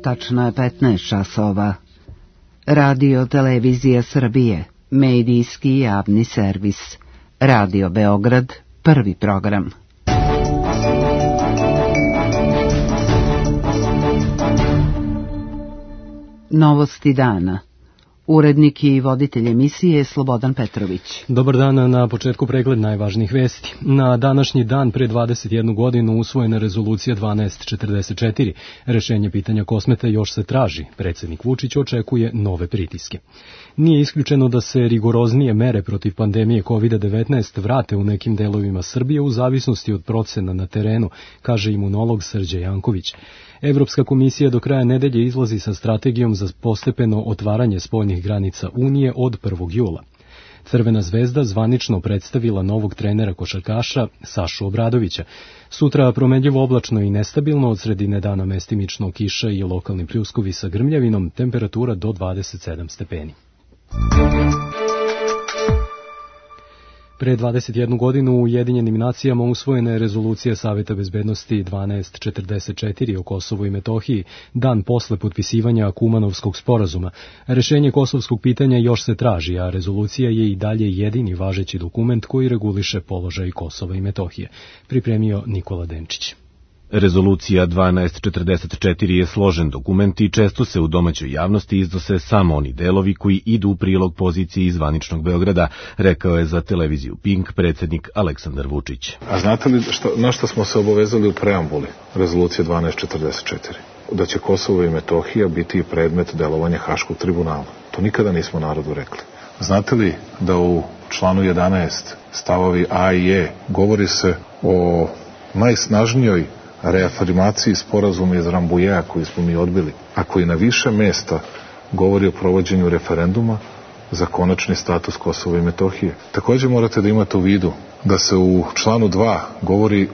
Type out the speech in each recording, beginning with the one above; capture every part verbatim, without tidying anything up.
tačno je petnaest časova. Radio Televizija Srbije, medijski javni servis. Radio Beograd, prvi program. Novosti dana. Urednik i voditelj emisije Slobodan Petrović. Dobar dan, na početku pregled najvažnijih vesti. Na današnji dan pre dvadeset jednu godinu usvojena rezolucija dvanaest četrdeset četiri. Rešenje pitanja Kosmeta još se traži. Predsednik Vučić očekuje nove pritiske. Nije isključeno da se rigoroznije mere protiv pandemije kovid devetnaest vrate u nekim delovima Srbije u zavisnosti od procena na terenu, kaže imunolog Srđe Janković. Evropska komisija do kraja nedelje izlazi sa strategijom za postepeno otvaranje spoljnih granica Unije od prvog jula. Crvena zvezda zvanično predstavila novog trenera košarkaša Sašu Obradovića. Sutra promenljivo oblačno i nestabilno, od sredine dana mestimično kiša i lokalni pljuskovi sa grmljavinom, temperatura do dvadeset sedam stepeni. Pre dvadeset jednu godinu u Ujedinjenim nacijama usvojena je rezolucija Saveta bezbednosti dvanaest četrdeset četiri o Kosovu i Metohiji, dan posle potpisivanja Kumanovskog sporazuma. Rešenje kosovskog pitanja još se traži, a rezolucija je i dalje jedini važeći dokument koji reguliše položaj Kosova i Metohije. Pripremio Nikola Denčić. Rezolucija dvanaest četrdeset četiri je složen dokument i često se u domaćoj javnosti iznose samo oni delovi koji idu u prilog poziciji zvaničnog Beograda, rekao je za televiziju Pink predsednik Aleksandar Vučić. A znate li šta, na što smo se obavezali u preambuli rezolucije dvanaest četrdeset četiri? Da će Kosovo i Metohija biti predmet delovanja Haškog tribunala. To nikada nismo narodu rekli. Znate li da u članu jedanaest stavovi A i E govori se o najsnažnijoj reafirmaciji sporazuma iz Rambujeja koji smo mi odbili, a koji na više mesta govori o provođenju referenduma za konačni status Kosova i Metohije. Također morate da imate u vidu da se u članu dva govori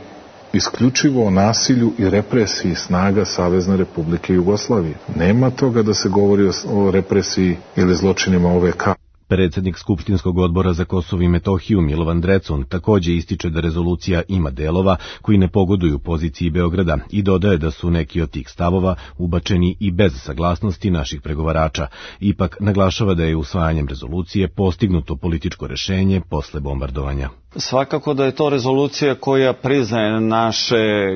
isključivo o nasilju i represiji snaga Savezne Republike Jugoslavije. Nema toga da se govori o represiji ili zločinima O V K. Predsednik Skupštinskog odbora za Kosovo i Metohiju Milovan Drecun takođe ističe da rezolucija ima delova koji ne pogoduju poziciji Beograda i dodaje da su neki od tih stavova ubačeni i bez saglasnosti naših pregovarača. Ipak naglašava da je usvajanjem rezolucije postignuto političko rešenje posle bombardovanja. Svakako da je to rezolucija koja priznaje naše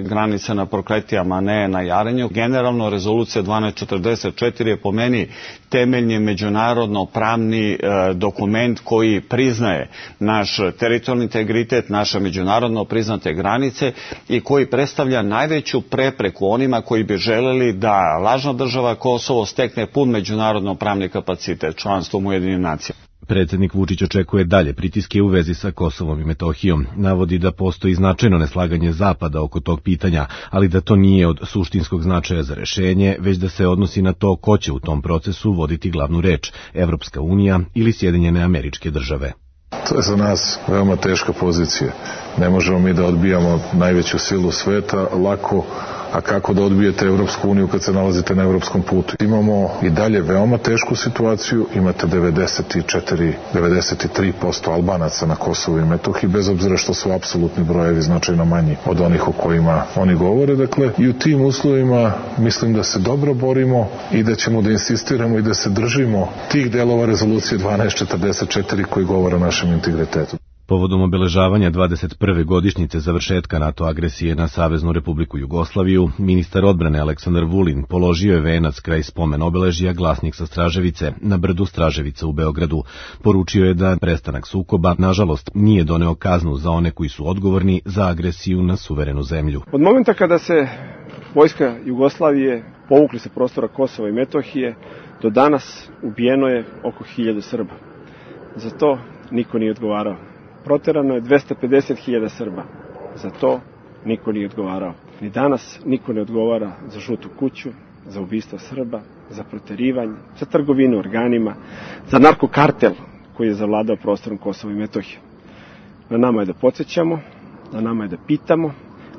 granice na Prokletijama, ne na Jarenju. Generalno, rezolucija dvanaest četrdeset četiri je po meni temeljni međunarodno pravni e, dokument koji priznaje naš teritorijalni integritet, naše međunarodno priznate granice i koji predstavlja najveću prepreku onima koji bi želeli da lažna država Kosovo stekne pun međunarodno pravni kapacitet članstvom u Ujedinjenim nacijama. Predsednik Vučić očekuje dalje pritiske u vezi sa Kosovom i Metohijom. Navodi da postoji značajno neslaganje Zapada oko tog pitanja, ali da to nije od suštinskog značaja za rešenje, već da se odnosi na to ko će u tom procesu voditi glavnu reč, Evropska unija ili Sjedinjene Američke Države. To je za nas veoma teška pozicija. Ne možemo mi da odbijamo najveću silu sveta lako, a kako da odbijete Evropsku uniju kad se nalazite na evropskom putu. Imamo i dalje veoma tešku situaciju, imate devedeset četiri do devedeset tri posto Albanaca na Kosovu i Metohiji, bez obzira što su apsolutni brojevi značajno manji od onih o kojima oni govore. Dakle, i u tim uslovima mislim da se dobro borimo i da ćemo da insistiramo i da se držimo tih delova rezolucije dvanaest četrdeset četiri koji govore o našem integritetu. Povodom obeležavanja dvadeset prve godišnjice završetka NATO agresije na Saveznu Republiku Jugoslaviju, ministar odbrane Aleksandar Vulin položio je venac kraj spomen obeležja Glasnik sa Straževice na brdu Straževica u Beogradu. Poručio je da prestanak sukoba, nažalost, nije doneo kaznu za one koji su odgovorni za agresiju na suverenu zemlju. Od momenta kada se vojska Jugoslavije povukli sa prostora Kosova i Metohije, do danas ubijeno je oko hiljadu Srba. Za to niko nije odgovarao. Proterano je dvesta pedeset hiljada Srba. Za to niko nije odgovarao. Ni danas niko ne odgovara za žutu kuću, za ubistvo Srba, za proterivanje, za trgovinu organima, za narkokartel koji je zavladao prostorom Kosova i Metohije. Na nama je da podsjećamo, na nama je da pitamo,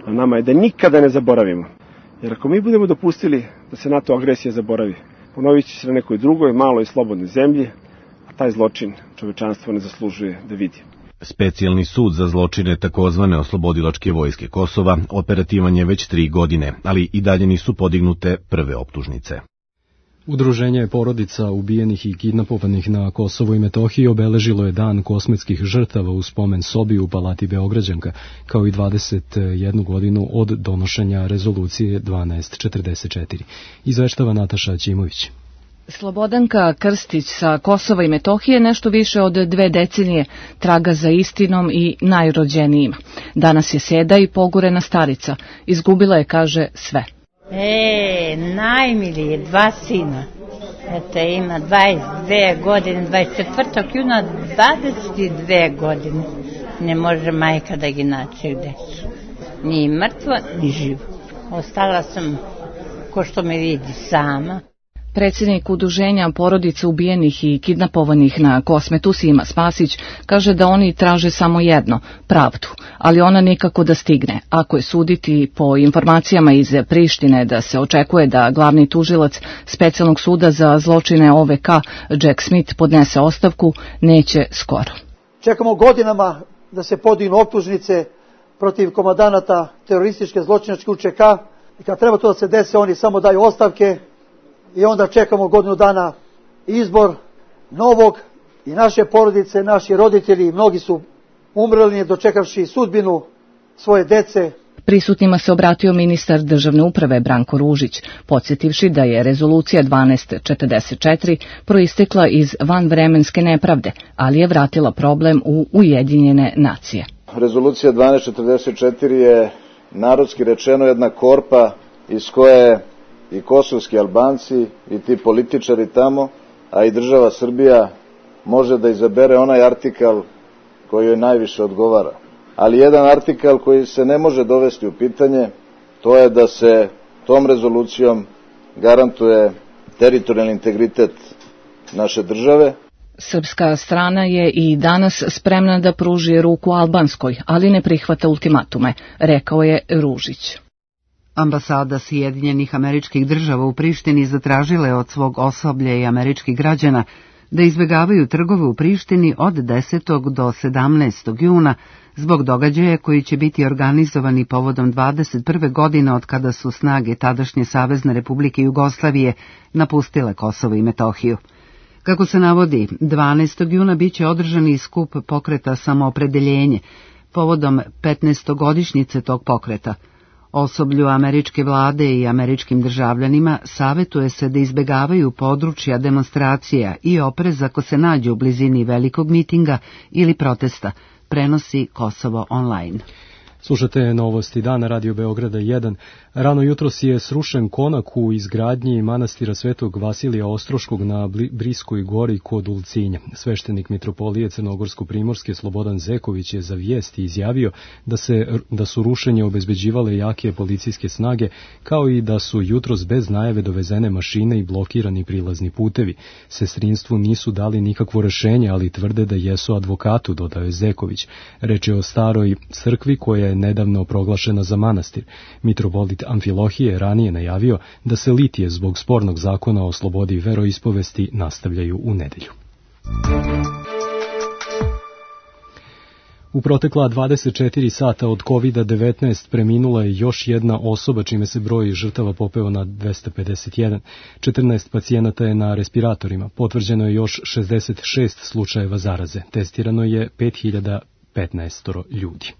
na nama je da nikada ne zaboravimo. Jer ako mi budemo dopustili da se NATO agresija zaboravi, ponovit će se na nekoj drugoj, maloj i slobodnoj zemlji, a taj zločin čovečanstvo ne zaslužuje da vidi. Specijalni sud za zločine takozvane oslobodilačke vojske Kosova operativan je već tri godine, ali i dalje nisu podignute prve optužnice. Udruženje porodica ubijenih i kidnapovanih na Kosovu i Metohiji obeležilo je dan kosmetskih žrtava u spomen sobi u Palati Beograđanka, kao i dvadeset jednu godinu od donošenja rezolucije dvanaest četrdeset četiri. Izveštava Nataša Ćimović. Slobodanka Krstić sa Kosova i Metohije nešto više od dve decenije traga za istinom i najrođenijima. Danas je seda i pogorena starica. Izgubila je, kaže, sve. E, najmilije, dva sina. Eto, ima dvadeset dve godine, dvadeset četvrtog juna, dvadeset dve godine. Ne može majka da gi naće gde su. Ni mrtvo, ni živo. Ostala sam, ko što me vidi, sama. Predsjednik udruženja porodica ubijenih i kidnapovanih na Kosmetu Sima Spasić kaže da oni traže samo jedno, pravdu, ali ona nikako da stigne. Ako je suditi po informacijama iz Prištine da se očekuje da glavni tužilac specijalnog suda za zločine O V K Jack Smith podnese ostavku, neće skoro. Čekamo godinama da se podignu optužnice protiv komandanata terorističke zločinačke U Č K i kad treba to da se desi, oni samo daju ostavke. I onda čekamo godinu dana izbor novog i naše porodice, naši roditelji, mnogi su umrli dočekavši sudbinu svoje dece. Prisutnima se obratio ministar državne uprave Branko Ružić, podsjetivši da je rezolucija dvanaest četrdeset četiri proistekla iz vanvremenske nepravde, ali je vratila problem u Ujedinjene nacije. Rezolucija dvanaest četrdeset četiri je narodski rečeno jedna korpa iz koje i kosovski Albanci i ti političari tamo, a i država Srbija može da izabere onaj artikal koji joj najviše odgovara. Ali jedan artikal koji se ne može dovesti u pitanje, to je da se tom rezolucijom garantuje teritorijalni integritet naše države. Srpska strana je i danas spremna da pruži ruku albanskoj, ali ne prihvata ultimatume, rekao je Ružić. Ambasada Sjedinjenih Američkih Država u Prištini zatražila je od svog osoblja i američkih građana da izbjegavaju trgove u Prištini od desetog do sedamnaestog juna zbog događaja koji će biti organizovani povodom dvadeset prve godine od kada su snage tadašnje Savezne Republike Jugoslavije napustile Kosovo i Metohiju. Kako se navodi, dvanaestog juna biće održani skup pokreta Samoopredeljenje povodom petnaestogodišnjice tog pokreta. Osoblju američke vlade i američkim državljanima savjetuje se da izbjegavaju područja demonstracija i oprez ako se nađu u blizini velikog mitinga ili protesta, prenosi Kosovo online. Slušate novosti dana Radio Beograda jedan. Rano jutros je srušen konak u izgradnji manastira Svetog Vasilija Ostroškog na Briskoj gori kod Ulcinja. Sveštenik mitropolije Crnogorsko-primorske Slobodan Zeković je za vijesti izjavio da, se, da su rušenje obezbeđivale jake policijske snage, kao i da su jutros bez najave dovezene mašine i blokirani prilazni putevi. Sestrinstvu nisu dali nikakvo rešenje, ali tvrde da jesu advokatu, dodao je Zeković. Reč je o staroj crkvi koja je nedavno proglašena za manastir. Mitropolit Amfilohije ranije najavio da se litije zbog spornog zakona o slobodi veroispovesti nastavljaju u nedelju. U protekla dvadeset četiri sata od kovid devetnaest preminula je još jedna osoba, čime se broj žrtava popeo na dvesta pedeset jedan. četrnaest pacijenata je na respiratorima. Potvrđeno je još šezdeset šest slučajeva zaraze. Testirano je pet hiljada petnaest ljudi.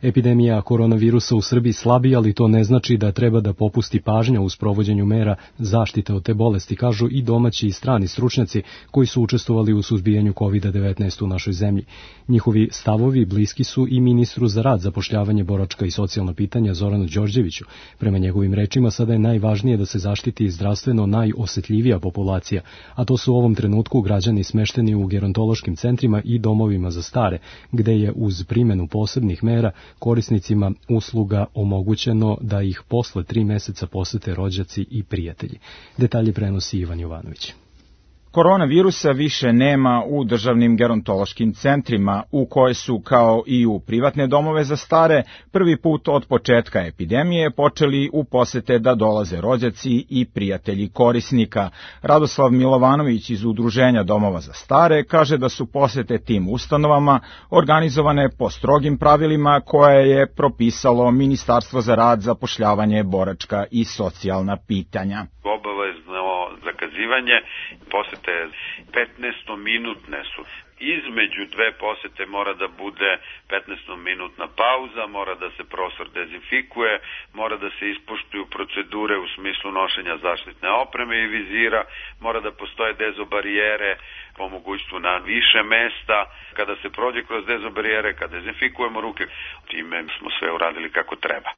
Epidemija koronavirusa u Srbiji slabi, ali to ne znači da treba da popusti pažnja u sprovođenju mera zaštite od te bolesti, kažu i domaći i strani stručnjaci koji su učestvovali u suzbijanju kovid devetnaest u našoj zemlji. Njihovi stavovi bliski su i ministru za rad, zapošljavanje, boračka i socijalna pitanja Zoranu Đorđeviću. Prema njegovim rečima sada je najvažnije da se zaštiti zdravstveno najosetljivija populacija, a to su u ovom trenutku građani smešteni u gerontološkim centrima i domovima za stare, gde je uz primjenu posebnih mera korisnicima usluga omogućeno da ih posle tri meseca posete rođaci i prijatelji. Detalje prenosi Ivan Jovanović. Koronavirusa više nema u državnim gerontološkim centrima, u koje su, kao i u privatne domove za stare, prvi put od početka epidemije počeli u posete da dolaze rođaci i prijatelji korisnika. Radoslav Milovanović iz Udruženja domova za stare kaže da su posete tim ustanovama organizovane po strogim pravilima koje je propisalo Ministarstvo za rad, zapošljavanje, boračka i socijalna pitanja. Obavezno zakazivanje posete petnaestominutne su. Između dve posete mora da bude petnaestominutna pauza, mora da se prostor dezinfikuje, mora da se ispoštuju procedure u smislu nošenja zaštitne opreme i vizira, mora da postoje dezobarijere po mogućstvu na više mesta. Kada se prođe kroz dezobarijere, kada dezinfikujemo ruke, time smo sve uradili kako treba.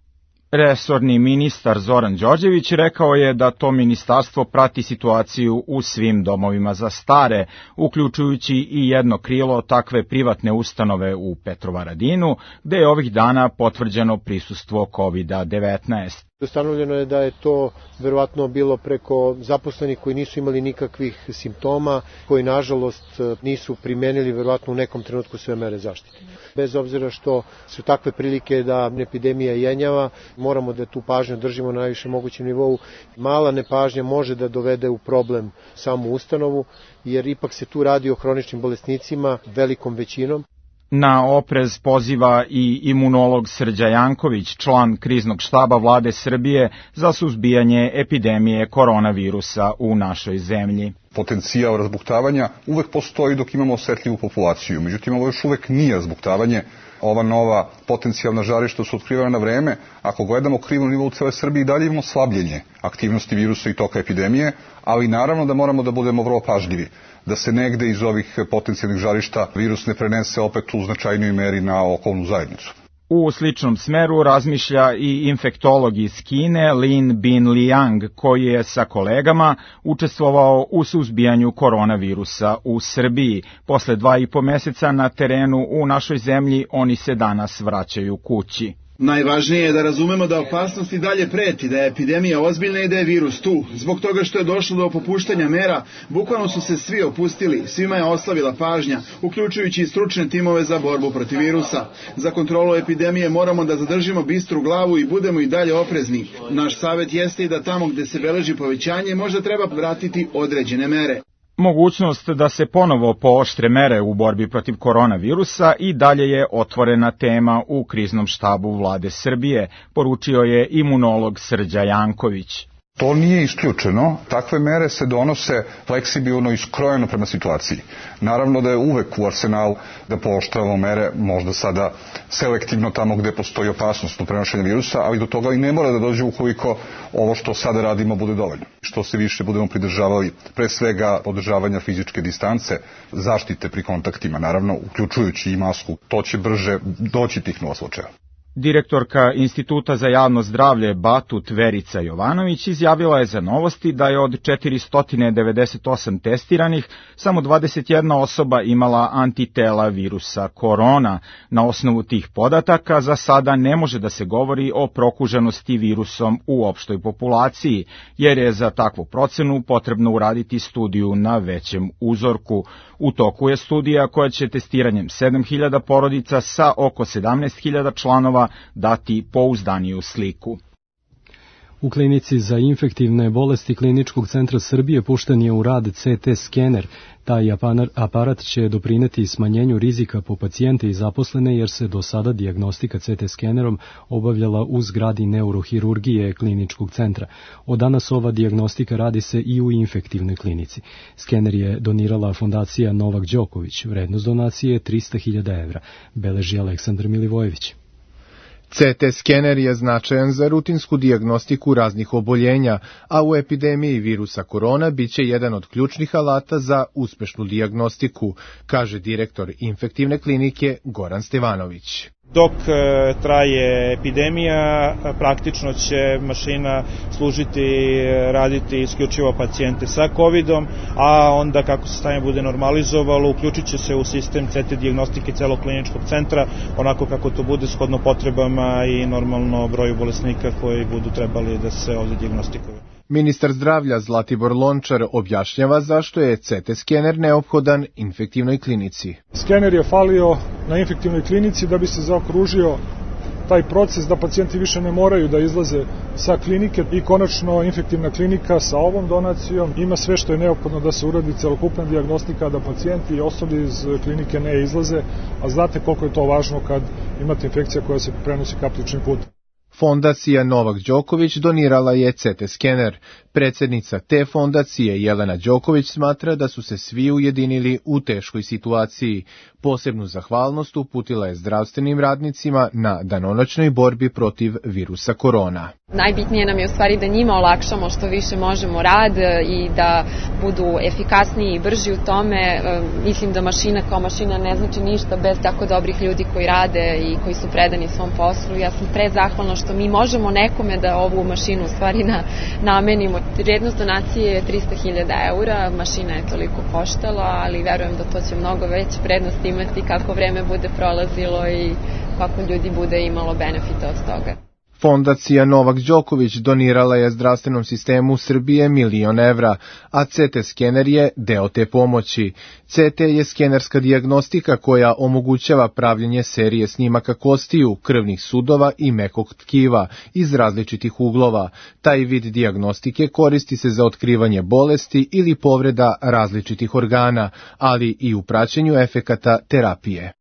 Resorni ministar Zoran Đorđević rekao je da to ministarstvo prati situaciju u svim domovima za stare, uključujući i jedno krilo takve privatne ustanove u Petrovaradinu, gde je ovih dana potvrđeno prisustvo kovid devetnaest. Ustanovljeno je da je to verovatno bilo preko zaposlenih koji nisu imali nikakvih simptoma, koji nažalost nisu primenili verovatno u nekom trenutku sve mere zaštite. Bez obzira što su takve prilike da epidemija jenjava, moramo da tu pažnju držimo na najviše mogućem nivou. Mala nepažnja može da dovede u problem samu ustanovu, jer ipak se tu radi o hroničnim bolesnicima velikom većinom. Na oprez poziva i imunolog Srđa Janković, član kriznog štaba vlade Srbije za suzbijanje epidemije koronavirusa u našoj zemlji. Potencijal razbuktavanja uvek postoji dok imamo osetljivu populaciju, međutim ovo još uvek nije razbuktavanje. Ova nova potencijalna žarišta su otkrivana na vreme. Ako gledamo krivnu nivou cele Srbije, i dalje imamo slabljenje aktivnosti virusa i toka epidemije, ali naravno da moramo da budemo vrlo pažljivi, da se negde iz ovih potencijalnih žarišta virus ne prenese opet u značajnoj meri na okolnu zajednicu. U sličnom smeru razmišlja i infektolog iz Kine Lin Bin Liang, koji je sa kolegama učestvovao u suzbijanju koronavirusa u Srbiji. Posle dva i po meseca na terenu u našoj zemlji oni se danas vraćaju kući. Najvažnije je da razumemo da opasnost i dalje preti, da je epidemija ozbiljna i da je virus tu. Zbog toga što je došlo do popuštanja mera, bukvalno su se svi opustili, svima je oslavila pažnja, uključujući i stručne timove za borbu protiv virusa. Za kontrolu epidemije moramo da zadržimo bistru glavu i budemo i dalje oprezni. Naš savjet jeste i da tamo gde se beleži povećanje možda treba vratiti određene mere. Mogućnost da se ponovo pooštre mere u borbi protiv koronavirusa i dalje je otvorena tema u kriznom štabu vlade Srbije, poručio je imunolog Srđa Janković. To nije isključeno, takve mere se donose fleksibilno i skrojeno prema situaciji. Naravno da je uvek u arsenalu da pooštravamo mere, možda sada selektivno tamo gde postoji opasnost od prenošenja virusa, ali do toga i ne mora da dođe ukoliko ovo što sada radimo bude dovoljno. Što se više budemo pridržavali pre svega održavanja fizičke distance, zaštite pri kontaktima, naravno uključujući i masku, to će brže doći tih nula slučaja. Direktorka Instituta za javno zdravlje Batut Verica Jovanović izjavila je za Novosti da je od četiristo devedeset osam testiranih samo dvadeset jedna osoba imala antitela virusa korona. Na osnovu tih podataka za sada ne može da se govori o prokuženosti virusom u opštoj populaciji, jer je za takvu procenu potrebno uraditi studiju na većem uzorku. U toku je studija koja će testiranjem sedam hiljada porodica sa oko sedamnaest hiljada članova dati pouzdaniju sliku. U klinici za infektivne bolesti Kliničkog centra Srbije pušten je u rad C T skener. Taj aparat će doprineti smanjenju rizika po pacijente i zaposlene, jer se do sada dijagnostika C T skenerom obavljala u zgradi neurohirurgije Kliničkog centra. Od danas ova dijagnostika radi se i u infektivnoj klinici. Skener je donirala fondacija Novak Đoković. Vrednost donacije je trista hiljada evra, beleži Aleksandar Milivojević. C T skener je značajan za rutinsku dijagnostiku raznih oboljenja, a u epidemiji virusa korona biće jedan od ključnih alata za uspešnu dijagnostiku, kaže direktor infektivne klinike Goran Stevanović. Dok e, traje epidemija, praktično će mašina služiti, raditi isključivo pacijente sa covidom, a onda kako se stanje bude normalizovalo, uključit će se u sistem C T dijagnostike celog kliničkog centra, onako kako to bude shodno potrebama i normalno broju bolesnika koji budu trebali da se ovde dijagnostikuju. Ministar zdravlja Zlatibor Lončar objašnjava zašto je C T skener neophodan infektivnoj klinici. Skener je falio na infektivnoj klinici da bi se zaokružio taj proces da pacijenti više ne moraju da izlaze sa klinike i konačno infektivna klinika sa ovom donacijom ima sve što je neophodno da se uradi celokupna dijagnostika, da pacijenti i osobe iz klinike ne izlaze, a znate koliko je to važno kad imate infekcija koja se prenosi kapljičnim putem. Fondacija Novak Đoković donirala je C T skener. Predsjednica te fondacije Jelena Đoković smatra da su se svi ujedinili u teškoj situaciji. Posebnu zahvalnost uputila je zdravstvenim radnicima na danonoćnoj borbi protiv virusa korona. Najbitnije nam je u stvari da njima olakšamo što više možemo rad i da budu efikasniji i brži u tome. Mislim da mašina kao mašina ne znači ništa bez tako dobrih ljudi koji rade i koji su predani svom poslu. Ja sam prezahvalna što mi možemo nekome da ovu mašinu u stvari na, namenimo. Vrednost donacije je trista hiljada eura, mašina je toliko koštala, ali verujem da to će mnogo veće prednost imati kako vreme bude prolazilo i kako ljudi bude imalo benefita od toga. Fondacija Novak Đoković donirala je zdravstvenom sistemu Srbije milion evra, a C T skener je deo te pomoći. C T je skenerska dijagnostika koja omogućava pravljenje serije snimaka kostiju, krvnih sudova i mekog tkiva iz različitih uglova. Taj vid dijagnostike koristi se za otkrivanje bolesti ili povreda različitih organa, ali i u praćenju efekata terapije.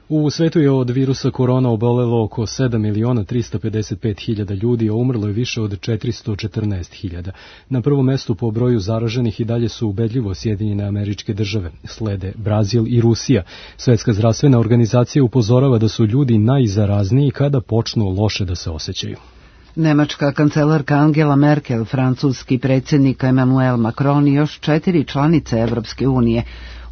U svetu je od virusa korona obolelo oko sedam miliona trista pedeset pet hiljada ljudi, a umrlo je više od četiristo četrnaest hiljada. Na prvom mestu po broju zaraženih i dalje su ubedljivo Sjedinjene Američke Države, slede Brazil i Rusija. Svetska zdravstvena organizacija upozorava da su ljudi najzarazniji kada počnu loše da se osjećaju. Nemačka kancelarka Angela Merkel, francuski predsjednik Emmanuel Macron i još četiri članice Evropske unije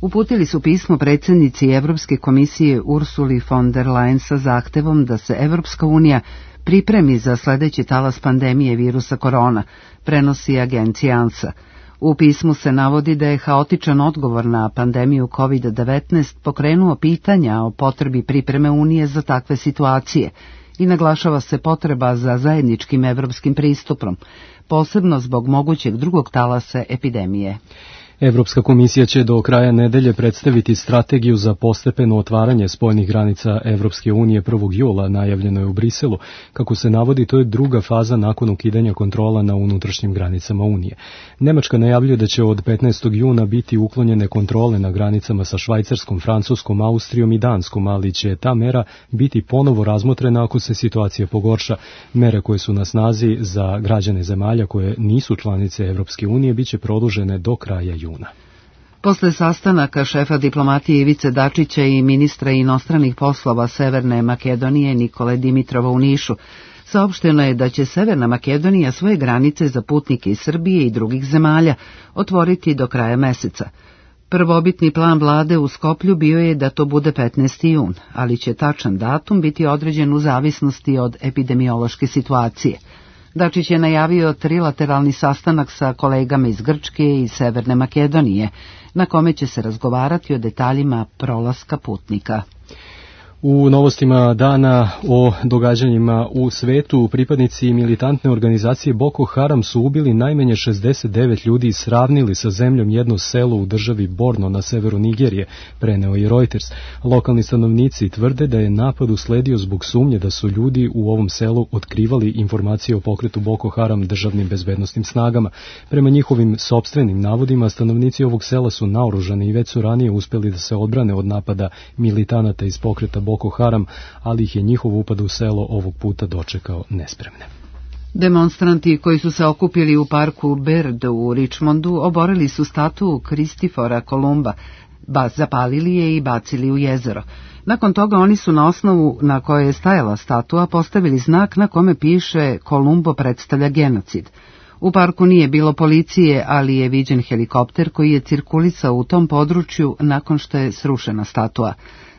uputili su pismo predsjednici Evropske komisije Ursuli von der Leyen sa zahtevom da se Evropska unija pripremi za sljedeći talas pandemije virusa korona, prenosi agencija ANSA. U pismu se navodi da je haotičan odgovor na pandemiju kovid devetnaest pokrenuo pitanja o potrebi pripreme Unije za takve situacije i naglašava se potreba za zajedničkim evropskim pristupom, posebno zbog mogućeg drugog talasa epidemije. Evropska komisija će do kraja nedelje predstaviti strategiju za postepeno otvaranje spoljnih granica Evropske unije prvog jula, najavljeno je u Briselu. Kako se navodi, to je druga faza nakon ukidanja kontrola na unutrašnjim granicama Unije. Nemačka najavljuje da će od petnaestog juna biti uklonjene kontrole na granicama sa Švajcarskom, Francuskom, Austrijom i Danskom, ali će ta mera biti ponovo razmotrena ako se situacija pogorša. Mere koje su na snazi za građane zemalja koje nisu članice Evropske unije biće produžene do kraja juna. Juna. Posle sastanaka šefa diplomatije Ivice Dačića i ministra inostranih poslova Severne Makedonije Nikole Dimitrova u Nišu, saopšteno je da će Severna Makedonija svoje granice za putnike iz Srbije i drugih zemalja otvoriti do kraja meseca. Prvobitni plan vlade u Skoplju bio je da to bude petnaesti jun, ali će tačan datum biti određen u zavisnosti od epidemiološke situacije. Dačić je najavio trilateralni sastanak sa kolegama iz Grčke i Severne Makedonije, na kome će se razgovarati o detaljima prolaska putnika. U novostima dana o događanjima u svetu, pripadnici militantne organizacije Boko Haram su ubili najmanje šezdeset devet ljudi i sravnili sa zemljom jedno selo u državi Borno na severu Nigerije, preneo i Reuters. Lokalni stanovnici tvrde da je napad usledio zbog sumnje da su ljudi u ovom selu otkrivali informacije o pokretu Boko Haram državnim bezbednosnim snagama. Prema njihovim sopstvenim navodima, stanovnici ovog sela su naoružani i već su ranije uspeli da se odbrane od napada militanata iz pokreta Boko Haram, ali ih je njihov upad u selo ovog puta dočekao nespremne. Demonstranti koji su se okupili u parku Bird u Richmondu oborili su statu Kristifora Kolumba, ba, zapalili je i bacili u jezero. Nakon toga oni su na osnovu na kojoj je stajala statua postavili znak na kome piše Kolumbo predstavlja genocid. U parku nije bilo policije, ali je viđen helikopter koji je cirkulisao u tom području nakon što je srušena statua.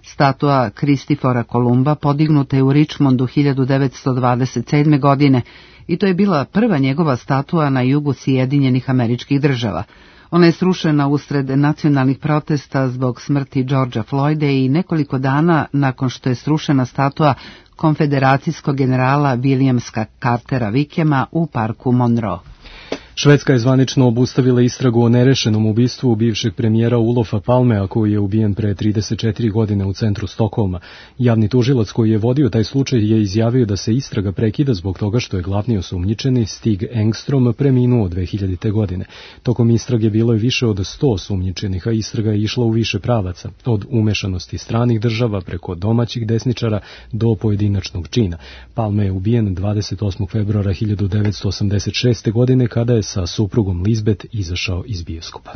Statua Kristifora Kolumba podignuta je u Richmondu hiljadu devetsto dvadeset sedme. godine i to je bila prva njegova statua na jugu Sjedinjenih Američkih Država. Ona je srušena usred nacionalnih protesta zbog smrti Georgea Floyda i nekoliko dana nakon što je srušena statua konfederacijskog generala Williamsa Cartera Wickhama u parku Monroe. Švedska je zvanično obustavila istragu o nerešenom ubistvu bivšeg premijera Olofa Palmea, koji je ubijen pre trideset četiri godine u centru Stokholma. Javni tužilac koji je vodio taj slučaj je izjavio da se istraga prekida zbog toga što je glavni osumnjičeni Stig Engstrom preminuo dve hiljadite. godine. Tokom istrage bilo je više od sto osumnjičenih, a istraga je išla u više pravaca, od umešanosti stranih država preko domaćih desničara do pojedinačnog čina. Palme je ubijen dvadeset osmog februara hiljadu devetsto osamdeset šeste. godine kada je sa suprugom Lisbeth izašao iz bioskopa.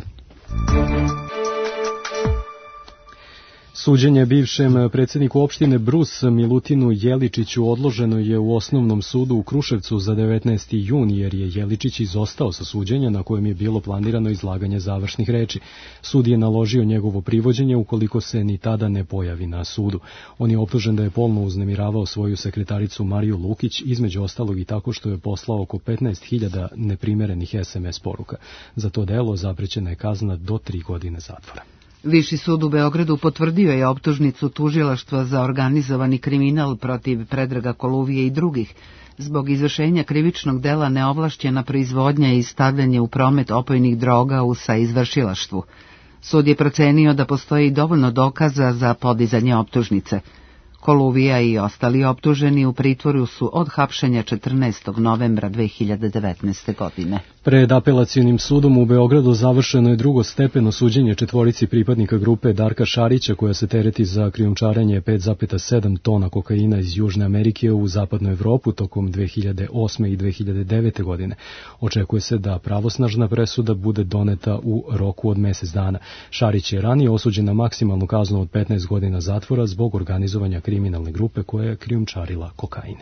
Suđenje bivšem predsjedniku opštine Brus Milutinu Jeličiću odloženo je u osnovnom sudu u Kruševcu za devetnaesti jun jer je Jeličić izostao sa suđenja na kojem je bilo planirano izlaganje završnih reči. Sud je naložio njegovo privođenje ukoliko se ni tada ne pojavi na sudu. On je optužen da je polno uznemiravao svoju sekretaricu Mariju Lukić, između ostalog i tako što je poslao oko petnaest hiljada neprimerenih es em es poruka. Za to delo zaprećena je kazna do tri godine zatvora. Viši sud u Beogradu potvrdio je optužnicu tužilaštva za organizovani kriminal protiv Predraga Koluvije i drugih zbog izvršenja krivičnog dela neovlašćena proizvodnja i stavljanje u promet opojnih droga u saizvršilaštvu. Sud je procenio da postoji dovoljno dokaza za podizanje optužnice. Koluvija i ostali optuženi u pritvoru su od hapšenja četrnaestog novembra dve hiljade devetnaeste. godine. Pred apelacionim sudom u Beogradu završeno je drugo stepeno suđenje četvorici pripadnika grupe Darka Šarića koja se tereti za krijumčarenje pet zarez sedam tona kokaina iz Južne Amerike u zapadnu Evropu tokom dve hiljade osme i dve hiljade devete. godine. Očekuje se da pravosnažna presuda bude doneta u roku od mesec dana. Šarić je ranije osuđen na maksimalnu kaznu od petnaest godina zatvora zbog organizovanja kriminalne grupe koja je krijumčarila kokain.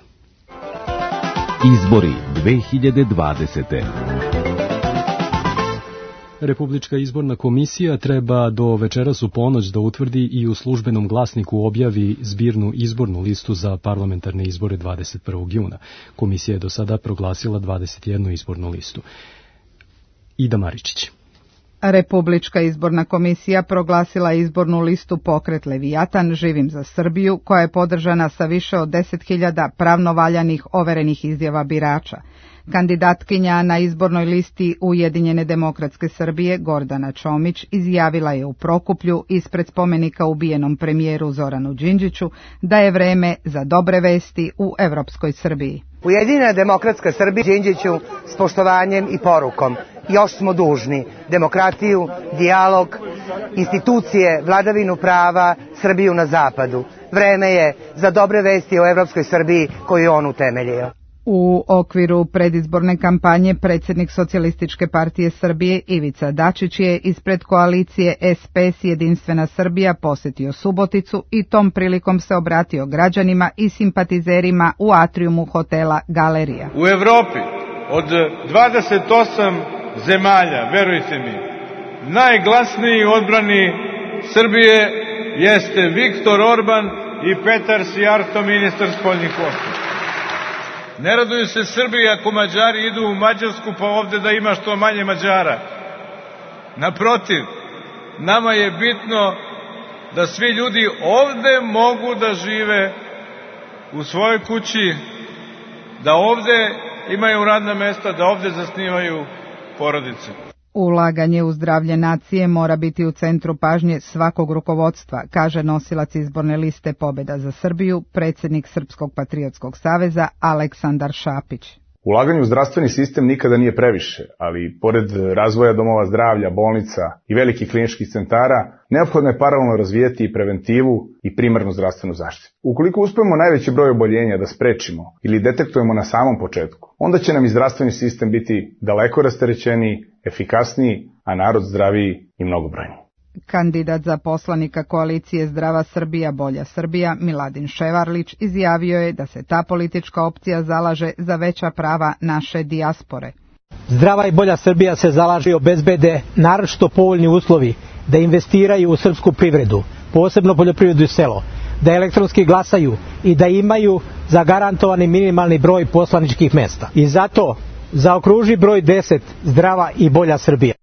Izbori dve hiljade dvadesete. Republička izborna komisija treba do večeras u ponoć da utvrdi i u službenom glasniku objavi zbirnu izbornu listu za parlamentarne izbore dvadeset prvog juna. Komisija je do sada proglasila dvadeset jednu izbornu listu. Ida Maričić. Republička izborna komisija proglasila izbornu listu Pokret Levijatan Živim za Srbiju, koja je podržana sa više od deset hiljada pravno valjanih overenih izjava birača. Kandidatkinja na izbornoj listi Ujedinjene demokratske Srbije Gordana Čomić izjavila je u Prokuplju ispred spomenika ubijenom premijeru Zoranu Đinđiću da je vreme za dobre vesti u evropskoj Srbiji. Ujedinjena demokratska Srbija Đinđiću s poštovanjem i porukom. Još smo dužni demokratiju, dijalog, institucije, vladavinu prava, Srbiju na zapadu. Vreme je za dobre vesti o evropskoj Srbiji koju je on utemeljio. U okviru predizborne kampanje predsjednik Socijalističke partije Srbije Ivica Dačić je ispred koalicije es pe es Jedinstvena Srbija posjetio Suboticu i tom prilikom se obratio građanima i simpatizerima u atrijumu hotela Galerija. U Evropi od dvadeset osam zemalja, verujte mi, najglasniji odbrani Srbije jeste Viktor Orban i Petar Sijarto, ministar spoljnih poslova. Ne raduju se Srbiji ako Mađari idu u Mađarsku pa ovde da ima što manje Mađara. Naprotiv, nama je bitno da svi ljudi ovde mogu da žive u svojoj kući, da ovde imaju radna mesta, da ovde zasnivaju porodice. Ulaganje u zdravlje nacije mora biti u centru pažnje svakog rukovodstva, kaže nosilac izborne liste Pobeda za Srbiju, predsjednik Srpskog patriotskog saveza Aleksandar Šapić. Ulaganje u zdravstveni sistem nikada nije previše, ali pored razvoja domova zdravlja, bolnica i velikih kliničkih centara, neophodno je paralelno razvijeti i preventivu i primarnu zdravstvenu zaštitu. Ukoliko uspemo najveći broj oboljenja da sprečimo ili detektujemo na samom početku, onda će nam i zdravstveni sistem biti daleko rasterećeniji, efikasniji, a narod zdraviji i mnogobrojniji. Kandidat za poslanika koalicije Zdrava Srbija, Bolja Srbija, Miladin Ševarlić, izjavio je da se ta politička opcija zalaže za veća prava naše dijaspore. Zdrava i Bolja Srbija se zalaže i obezbede naročito povoljni uslovi da investiraju u srpsku privredu, posebno poljoprivredu i selo, da elektronski glasaju i da imaju zagarantovani minimalni broj poslaničkih mesta. I zato zaokruži broj deset Zdrava i Bolja Srbija.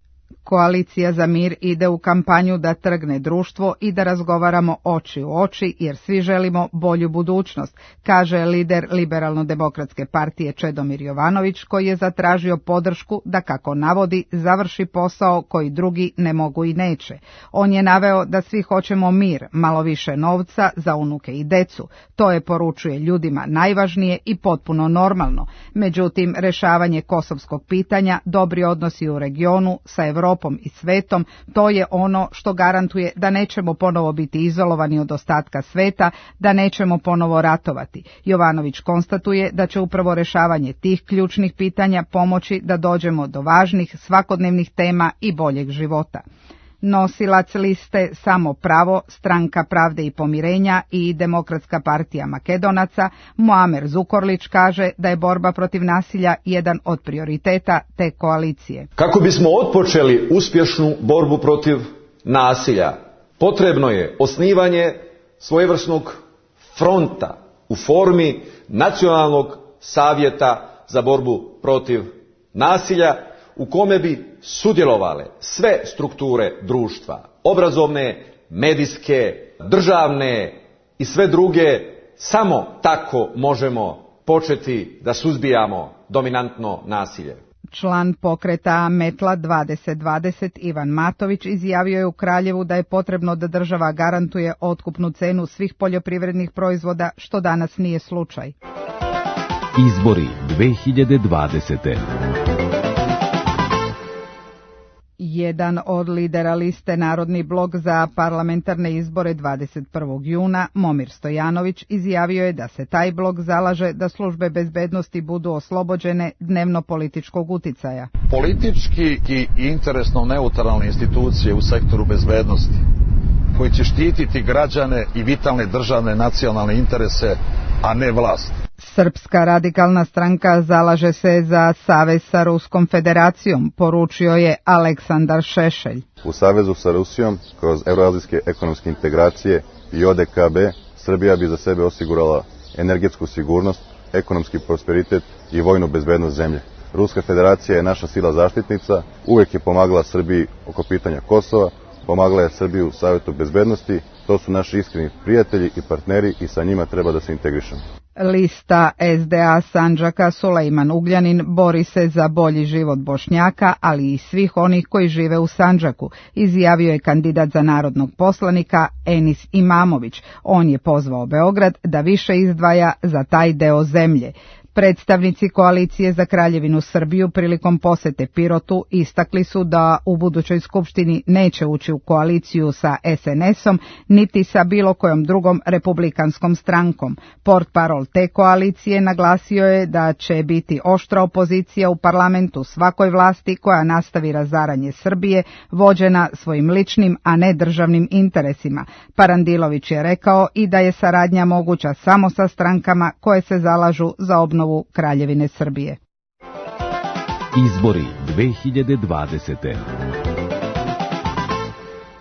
Koalicija za mir ide u kampanju da trgne društvo i da razgovaramo oči u oči jer svi želimo bolju budućnost, kaže lider Liberalno-demokratske partije Čedomir Jovanović, koji je zatražio podršku da, kako navodi, završi posao koji drugi ne mogu i neće. On je naveo da svi hoćemo mir, malo više novca za unuke i decu. To je, poručuje, ljudima najvažnije i potpuno normalno. Međutim, rešavanje kosovskog pitanja, dobri odnosi u regionu sa Evropom i svetom, to je ono što garantuje da nećemo ponovo biti izolovani od ostatka sveta, da nećemo ponovo ratovati. Jovanović konstatuje da će upravo rešavanje tih ključnih pitanja pomoći da dođemo do važnih svakodnevnih tema i boljeg života. Nosilac liste Samo pravo, Stranka pravde i pomirenja i Demokratska partija Makedonaca, Muamer Zukorlić, kaže da je borba protiv nasilja jedan od prioriteta te koalicije. Kako bismo otpočeli uspješnu borbu protiv nasilja, potrebno je osnivanje svojevrsnog fronta u formi Nacionalnog savjeta za borbu protiv nasilja, u kome bi sudjelovale sve strukture društva, obrazovne, medijske, državne i sve druge. Samo tako možemo početi da suzbijamo dominantno nasilje. Član pokreta Metla dvadeset dvadeset Ivan Matović izjavio je u Kraljevu da je potrebno da država garantuje otkupnu cenu svih poljoprivrednih proizvoda, što danas nije slučaj. Izbori dve hiljade dvadesete. Jedan od lidera liste Narodni blok za parlamentarne izbore dvadeset prvog juna, Momir Stojanović, izjavio je da se taj blok zalaže da službe bezbednosti budu oslobođene dnevno političkog uticaja. Politički i interesno neutralne institucije u sektoru bezbednosti, koji će štititi građane i vitalne državne nacionalne interese, a ne vlast. Srpska radikalna stranka zalaže se za savez sa Ruskom federacijom, poručio je Aleksandar Šešelj. U savezu sa Rusijom, kroz evroazijske ekonomske integracije i O D K B, Srbija bi za sebe osigurala energetsku sigurnost, ekonomski prosperitet i vojnu bezbednost zemlje. Ruska federacija je naša sila zaštitnica, uvek je pomagala Srbiji oko pitanja Kosova, pomagala je Srbiju u Savetu bezbednosti, to su naši iskreni prijatelji i partneri i sa njima treba da se integrišemo. Lista S D A Sandžaka Sulejman Ugljanin bori se za bolji život Bošnjaka, ali i svih onih koji žive u Sandžaku, izjavio je kandidat za narodnog poslanika Enis Imamović. On je pozvao Beograd da više izdvaja za taj deo zemlje. Predstavnici koalicije za Kraljevinu Srbiju prilikom posete Pirotu istakli su da u budućoj skupštini neće ući u koaliciju sa S N S-om niti sa bilo kojom drugom republikanskom strankom. Portparol te koalicije naglasio je da će biti oštra opozicija u parlamentu svakoj vlasti koja nastavi razaranje Srbije, vođena svojim ličnim, a ne državnim interesima. Parandilović je rekao i da je saradnja moguća samo sa strankama koje se zalažu za obnovu Kraljevine Srbije. Izbori dve hiljade dvadesete.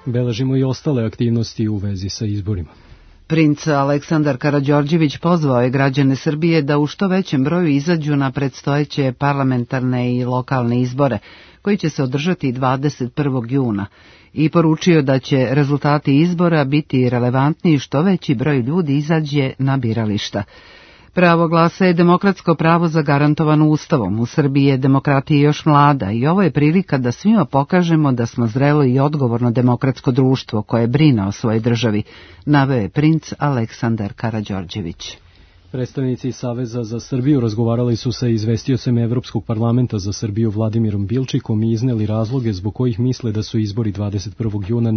Beležimo i ostale aktivnosti u vezi sa izborima. Princ Aleksandar Karađorđević pozvao je građane Srbije da u što većem broju izađu na predstojeće parlamentarne i lokalne izbore, koji će se održati dvadeset prvog juna, i poručio da će rezultati izbora biti relevantni i što veći broj ljudi izađe na birališta. Pravo glasa je demokratsko pravo zagarantovano Ustavom. U Srbiji je demokratija još mlada i ovo je prilika da svima pokažemo da smo zrelo i odgovorno demokratsko društvo koje brine o svojoj državi, naveo je princ Aleksandar Karađorđević. Predstavnici Saveza za Srbiju razgovarali su sa izvestiocem Evropskog parlamenta za Srbiju Vladimirom Bilčikom i izneli razloge zbog kojih misle da su izbori dvadeset prvog juna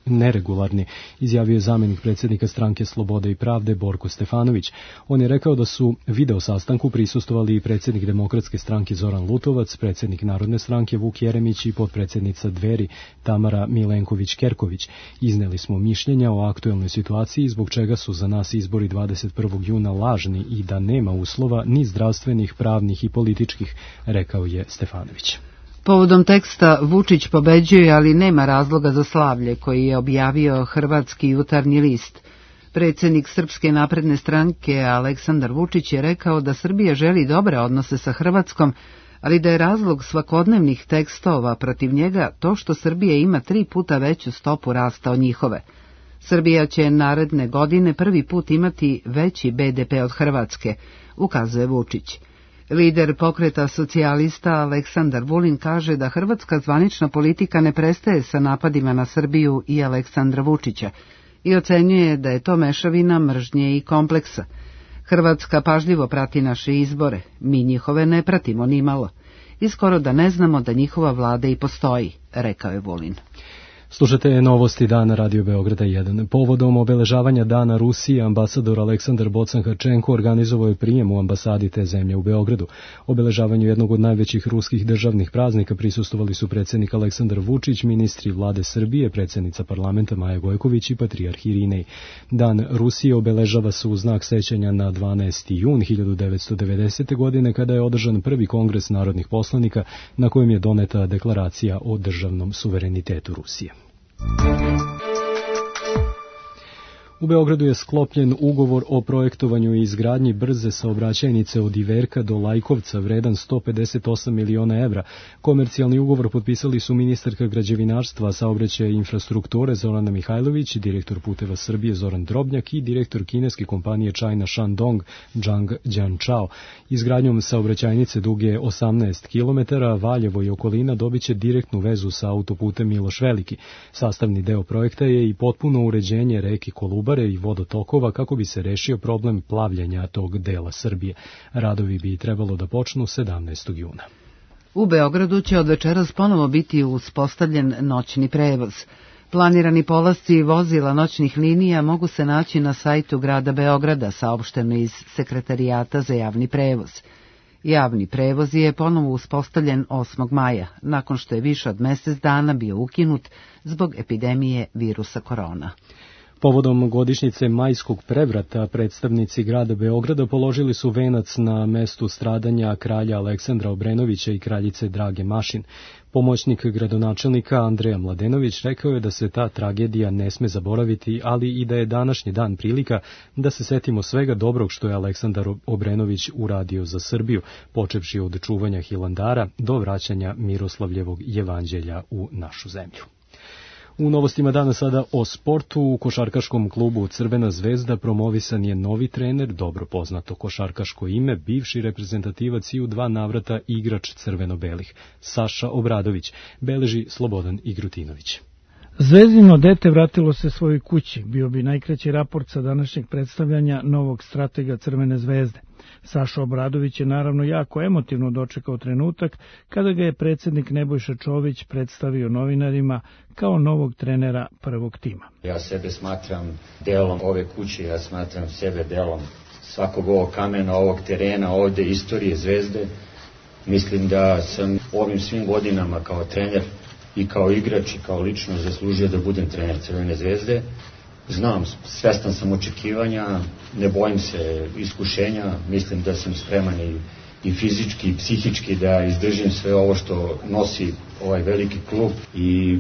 neregularni, izjavio je zamjenik predsjednika Stranke Slobode i pravde Borko Stefanović. On je rekao da su video sastanku prisustvovali i predsjednik Demokratske stranke Zoran Lutovac, predsjednik Narodne stranke Vuk Jeremić i potpredsjednica Dveri Tamara Milenković-Kerković. Izneli smo mišljenja o aktuelnoj situaciji zbog čega su za nas izbori dvadeset prvog juna lažni i da nema uslova ni zdravstvenih, pravnih i političkih, rekao je Stefanović. Povodom teksta Vučić pobeđuje, ali nema razloga za slavlje, koji je objavio Hrvatski jutarnji list. Predsjednik Srpske napredne stranke Aleksandar Vučić je rekao da Srbija želi dobre odnose sa Hrvatskom, ali da je razlog svakodnevnih tekstova protiv njega to što Srbija ima tri puta veću stopu rasta od njihove. Srbija će naredne godine prvi put imati veći be de pe od Hrvatske, ukazuje Vučić. Lider pokreta socijalista Aleksandar Vulin kaže da hrvatska zvanična politika ne prestaje sa napadima na Srbiju i Aleksandra Vučića i ocenjuje da je to mešavina mržnje i kompleksa. Hrvatska pažljivo prati naše izbore, mi njihove ne pratimo nimalo i skoro da ne znamo da njihova vlada i postoji, rekao je Vulin. Slušate novosti dana Radio Beograda jedan. Povodom obeležavanja dana Rusije, ambasador Aleksandar Bocan-Hrčenko organizovao je prijem u ambasadi te zemlje u Beogradu. Obeležavanju jednog od najvećih ruskih državnih praznika prisustvovali su predsjednik Aleksandar Vučić, ministri vlade Srbije, predsjednica parlamenta Maja Gojković i patrijarh Irinej. Dan Rusije obeležava se u znak sećanja na dvanaesti jun hiljadu devetsto devedesete. godine kada je održan prvi kongres narodnih poslanika na kojem je doneta deklaracija o državnom suverenitetu Rusije. U Beogradu je sklopljen ugovor o projektovanju i izgradnji brze saobraćajnice od Iverka do Lajkovca vredan sto pedeset osam miliona evra. Komercijalni ugovor potpisali su ministarka građevinarstva, saobraćaja i infrastrukture Zorana Mihajlović, direktor Puteva Srbije Zoran Drobnjak i direktor kineske kompanije China Shandong Zhang Jianchao. Izgradnjom saobraćajnice duge osamnaest kilometara Valjevo i okolina dobiće direktnu vezu sa autoputem Miloš Veliki. Sastavni deo projekta je i potpuno uređenje reke Kolubare i vodotokova kako bi se rešio problem plavljenja tog dela Srbije. Radovi bi trebalo da počnu sedamnaestog juna. U Beogradu će od večeras ponovo biti uspostavljen noćni prevoz. Planirani polasci vozila noćnih linija mogu se naći na sajtu grada Beograda, saopšteno iz Sekretarijata za javni prevoz. Javni prevoz je ponovo uspostavljen osmog maja, nakon što je više od mjesec dana bio ukinut zbog epidemije virusa korona. Povodom godišnjice majskog prevrata predstavnici grada Beograda položili su venac na mestu stradanja kralja Aleksandra Obrenovića i kraljice Drage Mašin. Pomoćnik gradonačelnika Andreja Mladenović rekao je da se ta tragedija ne sme zaboraviti, ali i da je današnji dan prilika da se setimo svega dobrog što je Aleksandar Obrenović uradio za Srbiju, počevši od čuvanja Hilandara do vraćanja Miroslavljevog jevanđelja u našu zemlju. U novostima dana sada o sportu. U košarkaškom klubu Crvena zvezda promovisan je novi trener, dobro poznato košarkaško ime, bivši reprezentativac i u dva navrata igrač crveno-belih, Saša Obradović, beleži Slobodan Igrutinović. Zvezdino dete vratilo se svojoj kući, bio bi najkraći raport sa današnjeg predstavljanja novog stratega Crvene zvezde. Saša Obradović je naravno jako emotivno dočekao trenutak kada ga je predsjednik Nebojša Čović predstavio novinarima kao novog trenera prvog tima. Ja sebe smatram delom ove kuće, ja smatram sebe delom svakog ovog kamena, ovog terena, ovde istorije Zvezde. Mislim da sam ovim svim godinama kao trener i kao igrač i kao lično zaslužio da budem trener Crvene zvezde. Znam, svestan sam očekivanja, ne bojim se iskušenja, mislim da sam spreman i, i fizički i psihički da izdržim sve ovo što nosi ovaj veliki klub i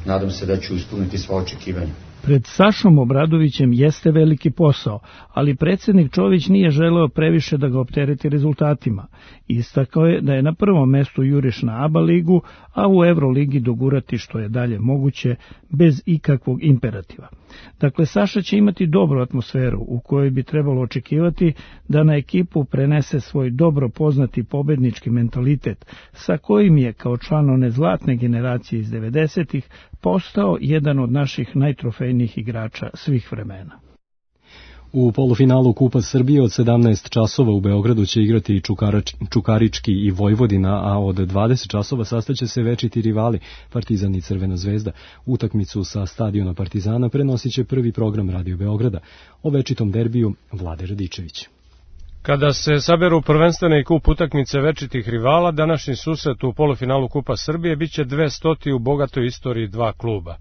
nadam se da ću ispuniti sva očekivanja. Pred Sašom Obradovićem jeste veliki posao, ali predsjednik Čović nije želeo previše da ga optereti rezultatima. Istakao je da je na prvom mestu juriš na A B A ligu, a u Euroligi dogurati što je dalje moguće bez ikakvog imperativa. Dakle, Saša će imati dobru atmosferu u kojoj bi trebalo očekivati da na ekipu prenese svoj dobro poznati pobednički mentalitet, sa kojim je kao član one zlatne generacije iz devedesetih postao jedan od naših najtrofejnijih igrača svih vremena. U polufinalu Kupa Srbije od sedamnaest časova u Beogradu će igrati Čukarač, Čukarički i Vojvodina, a od dvadeset časova sastaće se večiti rivali Partizan i Crvena zvezda. Utakmicu sa stadiona Partizana prenosit će prvi program Radio Beograda. O večitom derbiju Vlade Radičević. Kada se saberu prvenstvene i kup utakmice večitih rivala, današnji susret u polufinalu Kupa Srbije biće dvestoti u bogatoj istoriji dva kluba.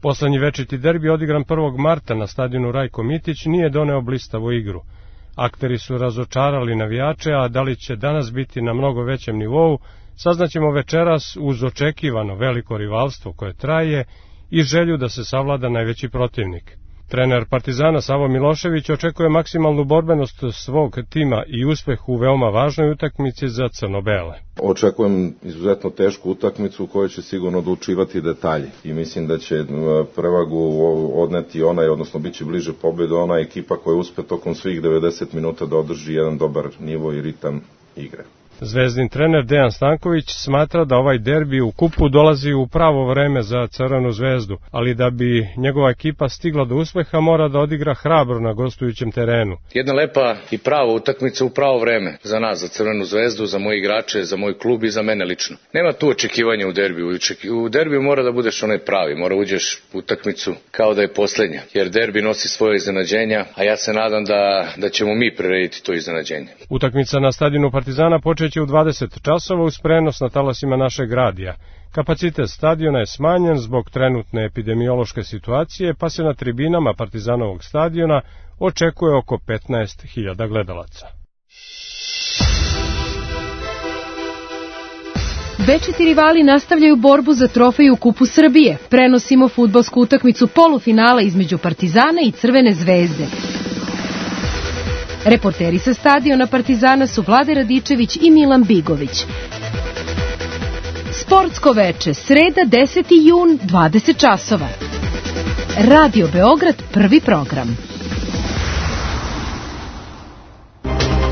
Poslednji večiti derbi odigran prvog marta na stadionu Rajko Mitić nije doneo blistavu igru. Akteri su razočarali navijače, a da li će danas biti na mnogo većem nivou, saznaćemo večeras uz očekivano veliko rivalstvo koje traje i želju da se savlada najveći protivnik. Trener Partizana Savo Milošević očekuje maksimalnu borbenost svog tima i uspeh u veoma važnoj utakmici za crno-bele. Očekujem izuzetno tešku utakmicu u kojoj će sigurno odlučivati detalji i mislim da će prevagu odneti onaj, odnosno bit će bliže pobedu ona ekipa koja uspe tokom svih devedeset minuta da održi jedan dobar nivo i ritam igre. Zvezdin trener Dejan Stanković smatra da ovaj derbi u kupu dolazi u pravo vreme za Crvenu zvezdu, ali da bi njegova ekipa stigla do uspeha mora da odigra hrabro na gostujućem terenu. Jedna lepa i prava utakmica u pravo vreme za nas, za Crvenu zvezdu, za moje igrače, za moj klub i za mene lično. Nema tu očekivanja u derbiju. U derbiju mora da budeš onaj pravi, mora uđeš u utakmicu kao da je poslednja, jer derbi nosi svoje iznenađenja, a ja se nadam da, da ćemo mi prirediti to iznenađenje. Utakmica na stadionu Partizana počeće u dvadeset časova uz prenos na talasima našeg radija. Kapacitet stadiona je smanjen zbog trenutne epidemiološke situacije, pa se na tribinama Partizanovog stadiona očekuje oko petnaest hiljada gledalaca. Večiti rivali nastavljaju borbu za trofej u Kupu Srbije. Prenosimo fudbalsku utakmicu polufinala između Partizana i Crvene zvezde. Reporteri sa stadiona Partizana su Vlade Radičević i Milan Bigović. Sportsko veče, sreda deseti jun, dvadeset časova. Radio Beograd, prvi program.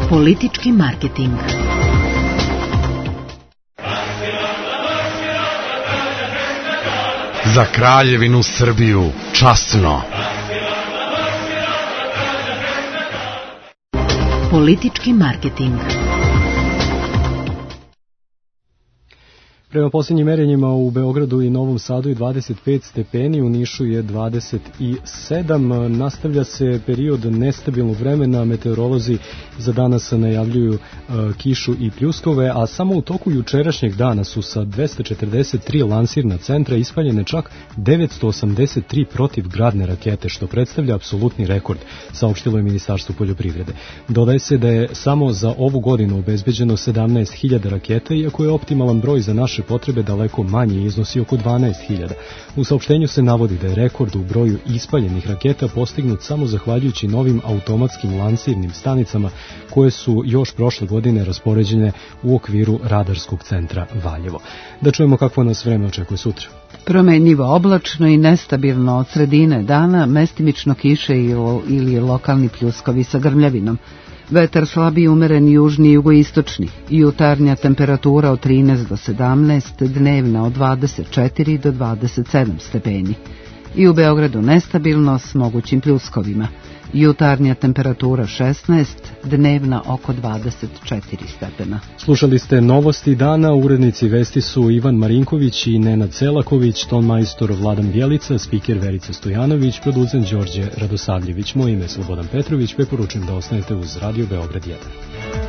Politički marketing. Za Kraljevinu Srbiju, časno. Politički marketing. Prema posljednjim merenjima u Beogradu i Novom Sadu je dvadeset pet stepeni, u Nišu je dvadeset sedam. Nastavlja se period nestabilnog vremena, meteorolozi za danas najavljuju uh, kišu i pljuskove, a samo u toku jučerašnjeg dana su sa dvesta četrdeset tri lansirna centra ispaljene čak devetsto osamdeset tri protivgradne rakete, što predstavlja apsolutni rekord, saopštilo je Ministarstvo poljoprivrede. Dodaje se da je samo za ovu godinu obezbeđeno sedamnaest hiljada raketa, iako je optimalan broj za naše potrebe daleko manji, iznosi oko dvanaest hiljada. U saopštenju se navodi da je rekord u broju ispaljenih raketa postignut samo zahvaljujući novim automatskim lansirnim stanicama koje su još prošle godine raspoređene u okviru radarskog centra Valjevo. Da čujemo kakvo nas vreme očekuje sutra. Promenljivo, oblačno i nestabilno od sredine dana, mestimično kiše ili lokalni pljuskovi sa grmljavinom. Vetar slabiji umeren južni i jugoistočni, jutarnja temperatura od trinaest do sedamnaest, dnevna od dvadeset četiri do dvadeset sedam stepeni. I u Beogradu nestabilno s mogućim pljuskovima. Jutarnja temperatura šesnaest, dnevna oko dvadeset četiri stepena. Slušali ste novosti dana, urednici vesti su Ivan Marinković i Nenad Selaković, ton majstor Vladan Bjelica, spiker Verica Stojanović, producent Đorđe Radosavljević. Moje ime je Slobodan Petrović, preporučujem da ostanete uz Radio Beograd jedan.